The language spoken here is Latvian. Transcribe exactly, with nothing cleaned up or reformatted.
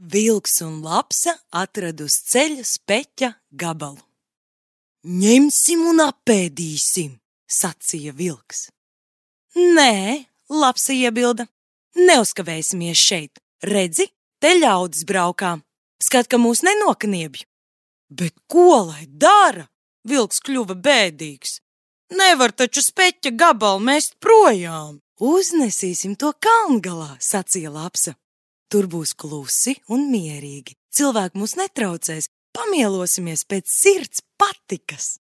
Vilks un lapsa atrada uz ceļa speķa gabalu. Ņemsim un apēdīsim, sacīja vilks. Nē, lapsa iebilda, neuzkavēsimies šeit. Redzi, te ļaudis braukā. Skat, ka mūs nenokniebj. Bet ko lai dara? Vilks kļuva bēdīgs. Nevar taču speķa gabalu mest projām. Uznesīsim to kalngalā, sacīja lapsa. Tur būs klusi un mierīgi. Cilvēki mūs netraucēs, pamielosimies pēc sirds patikas.